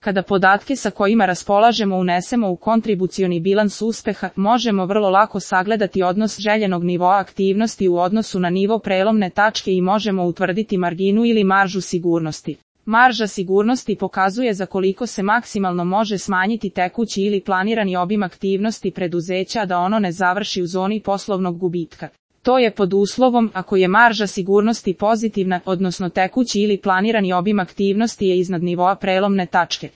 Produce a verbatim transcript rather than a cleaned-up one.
Kada podatke sa kojima raspolažemo unesemo u kontribucioni bilans uspeha, možemo vrlo lako sagledati odnos željenog nivoa aktivnosti u odnosu na nivo prelomne tačke i možemo utvrditi marginu ili maržu sigurnosti. Marža sigurnosti pokazuje za koliko se maksimalno može smanjiti tekući ili planirani obim aktivnosti preduzeća da ono ne završi u zoni poslovnog gubitka. To je pod uslovom ako je marža sigurnosti pozitivna, odnosno tekući ili planirani obim aktivnosti je iznad nivoa prelomne tačke.